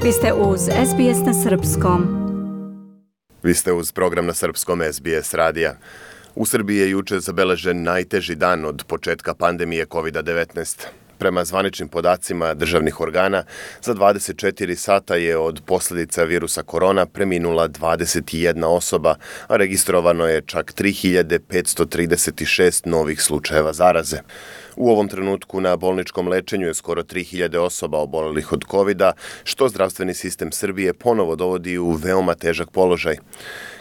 Vi ste uz SBS na Srpskom. Vi ste uz program na Srpskom SBS radija. U Srbiji je juče zabeležen najteži dan od početka pandemije COVID-19. Prema zvaničnim podacima državnih organa, za 24 sata je od posljedica virusa korona preminula 21 osoba, a registrovano je čak 3536 novih slučajeva zaraze. U ovom trenutku na bolničkom lečenju je skoro 3000 osoba obolelih od COVID-a, što zdravstveni sistem Srbije ponovo dovodi u veoma težak položaj.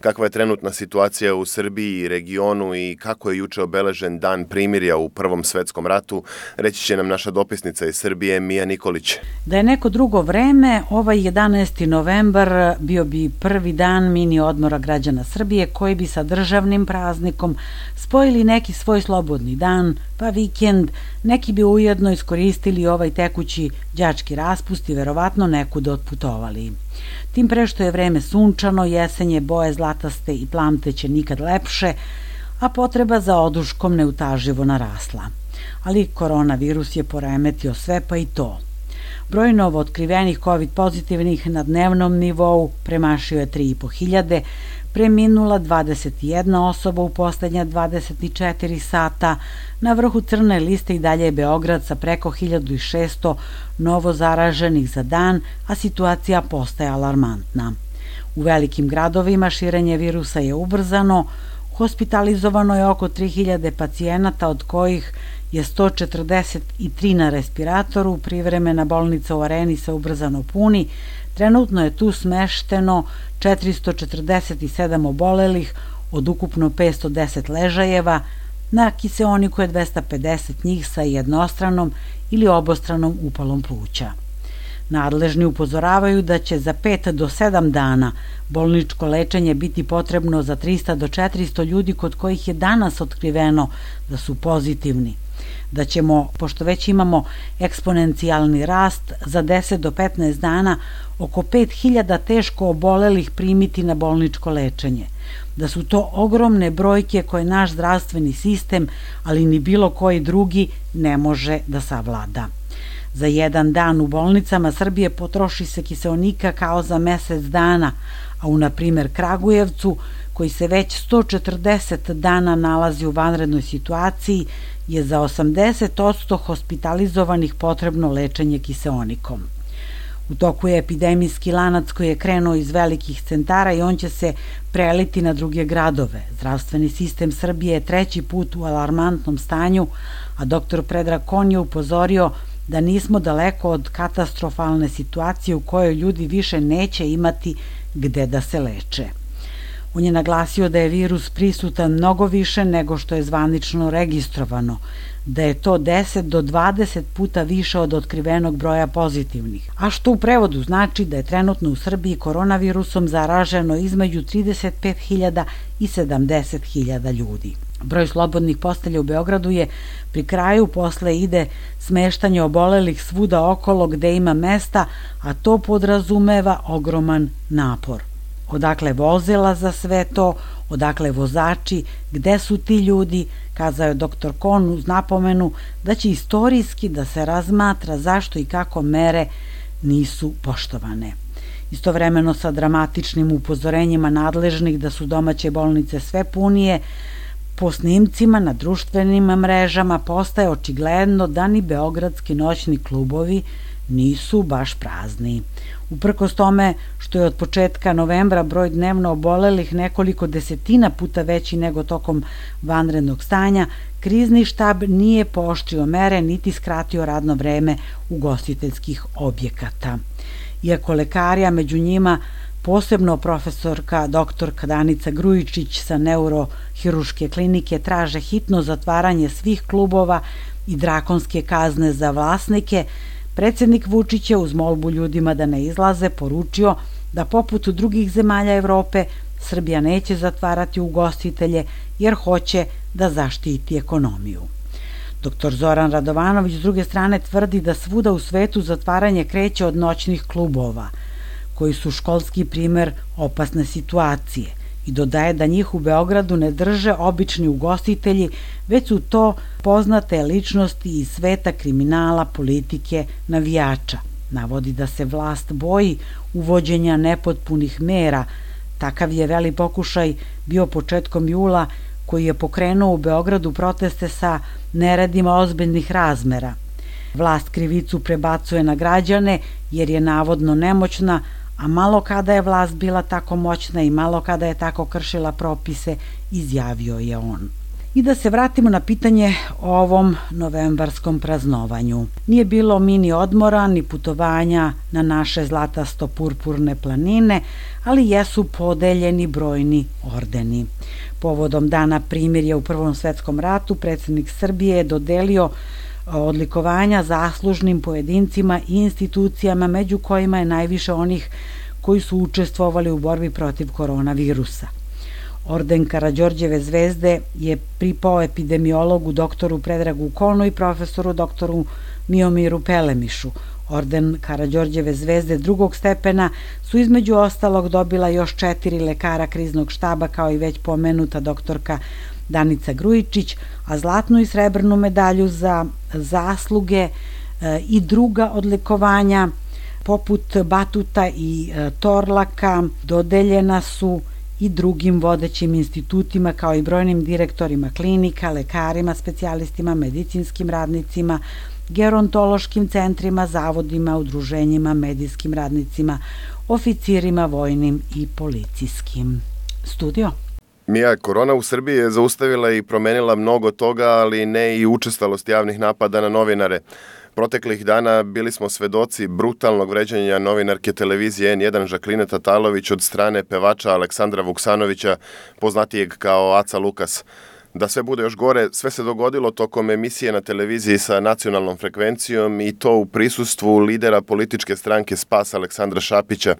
Kakva je trenutna situacija u Srbiji i regionu i kako je juče obeležen dan primirja u Prvom svetskom ratu, reći će nam naša dopisnica iz Srbije Mija Nikolić. Da je neko drugo vreme, ovaj 11. novembar bio bi prvi dan mini odmora građana Srbije koji bi sa državnim praznikom spojili neki svoj slobodni dan, pa vikend, neki bi ujedno iskoristili ovaj tekući đački raspust i verovatno nekud otputovali. Tim pre što je vreme sunčano, jesenje boje zlataste i plamteće nikad lepše, a potreba za oduškom neutaživo narasla. Ali koronavirus je poremetio sve, pa i to. Broj novootkrivenih COVID pozitivnih na dnevnom nivou premašio je 3500, preminula 21 osoba u poslednja 24 sata. Na vrhu crne liste i dalje je Beograd sa preko 1600 novo zaraženih za dan, a situacija postaje alarmantna. U velikim gradovima širenje virusa je ubrzano, hospitalizovano je oko 3000 pacijenata, od kojih je 143 na respiratoru, privremena bolnica u Areni se ubrzano puni, trenutno je tu smešteno 447 obolelih od ukupno 510 ležajeva, na kiseoniku je 250 njih sa jednostranom ili obostranom upalom pluća. Nadležni upozoravaju da će za 5 do 7 dana bolničko lečenje biti potrebno za 300 do 400 ljudi kod kojih je danas otkriveno da su pozitivni. Da ćemo, pošto već imamo eksponencijalni rast, za 10 do 15 dana oko 5000 teško obolelih primiti na bolničko lečenje. Da su to ogromne brojke koje naš zdravstveni sistem, ali ni bilo koji drugi, ne može da savlada. Za jedan dan u bolnicama Srbije potroši se kiseonika kao za mesec dana, a u, na primer, Kragujevcu, koji se već 140 dana nalazi u vanrednoj situaciji, je za 80% hospitalizovanih potrebno lečenje kiseonikom. U toku je epidemijski lanac koji je krenuo iz velikih centara i on će se preliti na druge gradove. Zdravstveni sistem Srbije je treći put u alarmantnom stanju, a dr. Predrag Kon je upozorio da nismo daleko od katastrofalne situacije u kojoj ljudi više neće imati gde da se leče. On je naglasio da je virus prisutan mnogo više nego što je zvanično registrovano, da je to 10 do 20 puta više od otkrivenog broja pozitivnih, a što u prevodu znači da je trenutno u Srbiji koronavirusom zaraženo između 35.000 i 70.000 ljudi. Broj slobodnih postelja u Beogradu je pri kraju, posle ide smeštanje obolelih svuda okolo gde ima mesta, a to podrazumeva ogroman napor. Odakle vozila za sve to, odakle vozači, gde su ti ljudi, kazao je dr. Kon uz napomenu da će istorijski da se razmatra zašto i kako mere nisu poštovane. Istovremeno sa dramatičnim upozorenjima nadležnih da su domaće bolnice sve punije, po snimcima na društvenim mrežama postaje očigledno da ni beogradski noćni klubovi nisu baš prazni. Uprkos tome što je od početka novembra broj dnevno obolelih nekoliko desetina puta veći nego tokom vanrednog stanja, krizni štab nije pooštrio mere niti skratio radno vreme ugostiteljskih objekata. Iako lekari, a među njima posebno profesorka doktorka Danica Grujičić sa neurohiruške klinike, traže hitno zatvaranje svih klubova i drakonske kazne za vlasnike, predsednik Vučić je uz molbu ljudima da ne izlaze poručio da poput drugih zemalja Evrope Srbija neće zatvarati ugostitelje jer hoće da zaštiti ekonomiju. Dr. Zoran Radovanović s druge strane tvrdi da svuda u svetu zatvaranje kreće od noćnih klubova, koji su školski primer opasne situacije, i dodaje da njih u Beogradu ne drže obični ugostitelji, već su to poznate ličnosti iz sveta kriminala, politike, navijača. Navodi da se vlast boji uvođenja nepotpunih mera. Takav je veli pokušaj bio početkom jula, koji je pokrenuo u Beogradu proteste sa neredima ozbiljnih razmera. Vlast krivicu prebacuje na građane jer je navodno nemoćna, a malo kada je vlast bila tako moćna i malo kada je tako kršila propise, izjavio je on. I da se vratimo na pitanje o ovom novembarskom praznovanju. Nije bilo mini odmora ni putovanja na naše zlatasto-purpurne planine, ali jesu podeljeni brojni ordeni. Povodom Dana primirja u Prvom svetskom ratu, predsjednik Srbije je dodelio odlikovanja zaslužnim pojedincima i institucijama, među kojima je najviše onih koji su učestvovali u borbi protiv koronavirusa. Orden Karađorđeve zvezde je pripao epidemiologu doktoru Predragu Konu i profesoru doktoru Miomiru Pelemišu. Orden Karađorđeve zvezde drugog stepena su između ostalog dobila još 4 lekara kriznog štaba, kao i već pomenuta doktorka Danica Grujičić, a zlatnu i srebrnu medalju za zasluge i druga odlikovanja poput Batuta i Torlaka dodeljena su i drugim vodećim institutima, kao i brojnim direktorima klinika, lekarima, specijalistima, medicinskim radnicima, gerontološkim centrima, zavodima, udruženjima, medijskim radnicima, oficirima vojnim i policijskim. Studio. Mija, korona u Srbiji je zaustavila i promenila mnogo toga, ali ne i učestalost javnih napada na novinare. Proteklih dana bili smo svedoci brutalnog vređanja novinarke televizije N1 Žakline Tatalović od strane pevača Aleksandra Vuksanovića, poznatijeg kao Aca Lukas. Da sve bude još gore, sve se dogodilo tokom emisije na televiziji sa nacionalnom frekvencijom i to u prisustvu lidera političke stranke Spas Aleksandra Šapića.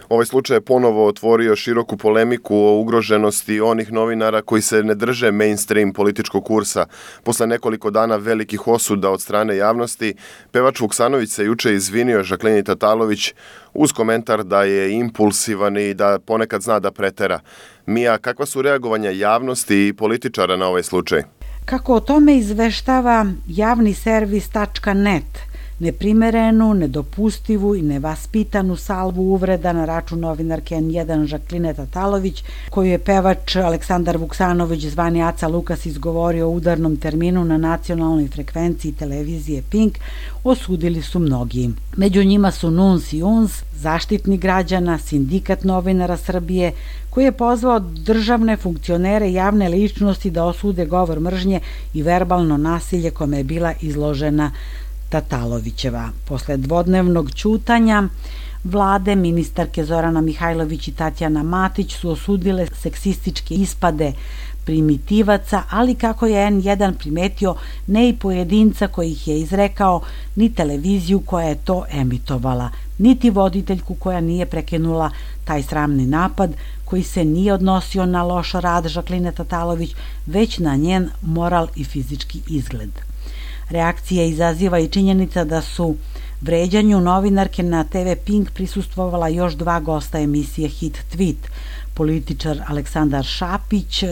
Ovaj slučaj je ponovo otvorio široku polemiku o ugroženosti onih novinara koji se ne drže mainstream političkog kursa. Posle nekoliko dana velikih osuda od strane javnosti, pevač Vuksanović se juče izvinio Žaklini Tatalović uz komentar da je impulsivan i da ponekad zna da pretera. Mija, kakva su reagovanja javnosti i političara na ovaj slučaj? Kako o tome izveštava javni servis.net, neprimerenu, nedopustivu i nevaspitanu salvu uvreda na račun novinarke N1 Žakline Tatalović, koju je pevač Aleksandar Vuksanović zvani Aca Lukas izgovorio u udarnom terminu na nacionalnoj frekvenciji televizije Pink, osudili su mnogi. Među njima su NUNS i UNS, Zaštitnik građana, Sindikat novinara Srbije, koji je pozvao državne funkcionere i javne ličnosti da osude govor mržnje i verbalno nasilje kome je bila izložena Tatalovićeva. Posle dvodnevnog ćutanja vlade, ministarke Zorana Mihajlović i Tatjana Matić su osudile seksističke ispade primitivaca, ali kako je N1 primetio, ne i pojedinca koji ih je izrekao, ni televiziju koja je to emitovala, niti voditeljku koja nije prekinula taj sramni napad, koji se nije odnosio na loš rad Žakline Tatalović, već na njen moral i fizički izgled. Reakcije izaziva i činjenica da su vređanju novinarke na TV Pink prisustvovala još 2 gosta emisije Hit Tweet, političar Aleksandar Šapić,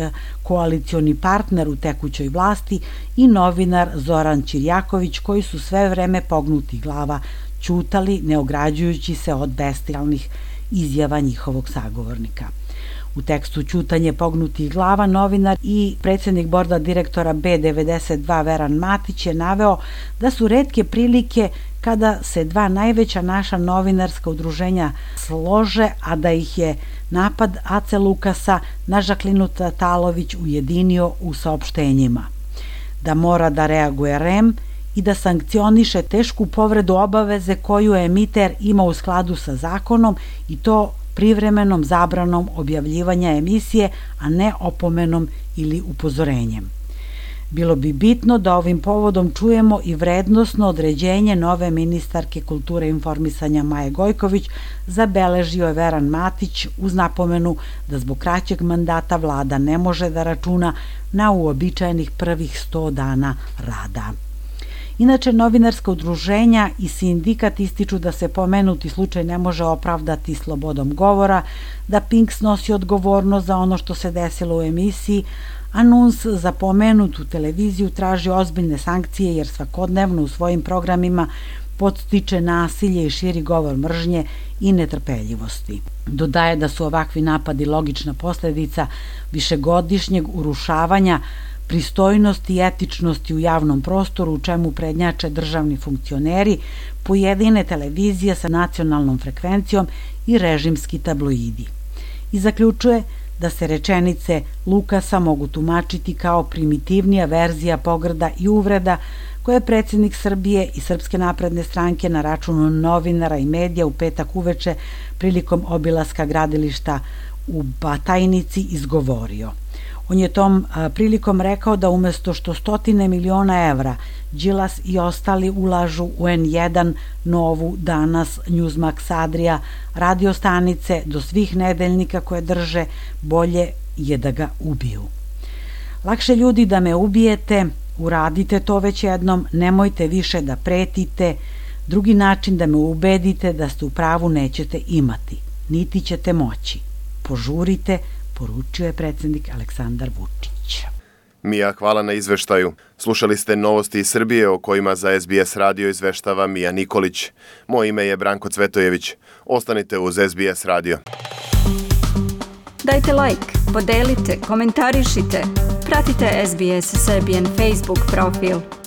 koalicioni partner u tekućoj vlasti, i novinar Zoran Ćirjaković, koji su sve vreme pognutih glava ćutali, ne ograđujući se od bestijalnih izjava njihovog sagovornika. U tekstu Ćutanje pognutih glava novinar i predsjednik borda direktora B92 Veran Matić je naveo da su retke prilike kada se 2 najveća naša novinarska udruženja slože, a da ih je napad Ace Lukasa na Žaklinu Tatalović ujedinio u saopštenjima. Da mora da reaguje REM i da sankcioniše tešku povredu obaveze koju emiter ima u skladu sa zakonom, i to privremenom zabranom objavljivanja emisije, a ne opomenom ili upozorenjem. Bilo bi bitno da ovim povodom čujemo i vrednosno određenje nove ministarke kulture i informisanja Maje Gojković, zabeležio je Veran Matić uz napomenu da zbog kraćeg mandata vlada ne može da računa na uobičajenih prvih 100 dana rada. Inače, novinarska udruženja i sindikat ističu da se pomenuti slučaj ne može opravdati slobodom govora, da Pink snosi odgovornost za ono što se desilo u emisiji, a NUNS za pomenutu televiziju traži ozbiljne sankcije jer svakodnevno u svojim programima podstiče nasilje i širi govor mržnje i netrpeljivosti. Dodaje da su ovakvi napadi logična posledica višegodišnjeg urušavanja pristojnosti i etičnosti u javnom prostoru, u čemu prednjače državni funkcioneri, pojedine televizije sa nacionalnom frekvencijom i režimski tabloidi. I zaključuje da se rečenice Lukasa mogu tumačiti kao primitivnija verzija pogrda i uvreda koje je predsjednik Srbije i Srpske napredne stranke na računu novinara i medija u petak uveče prilikom obilaska gradilišta u Batajnici izgovorio. On je tom prilikom rekao da umesto što 100 miliona evra Đilas i ostali ulažu u N1, Novu, Danas, Newsmax, Adria, radio stanice do svih nedeljnika koje drže, bolje je da ga ubiju. Lakše ljudi da me ubijete, uradite to već jednom, nemojte više da pretite, drugi način da me ubedite da ste u pravu nećete imati, niti ćete moći. Požurite, poručio je predsjednik Aleksandar Vučić. Mija, hvala na izveštaju. Slušali ste novosti iz Srbije o kojima za SBS radio izveštava Mija Nikolić. Moje ime je Branko Cvetojević. Ostanite uz SBS radio. Dajte like, podelite, komentarišite. Pratite SBS Serbian Facebook profil.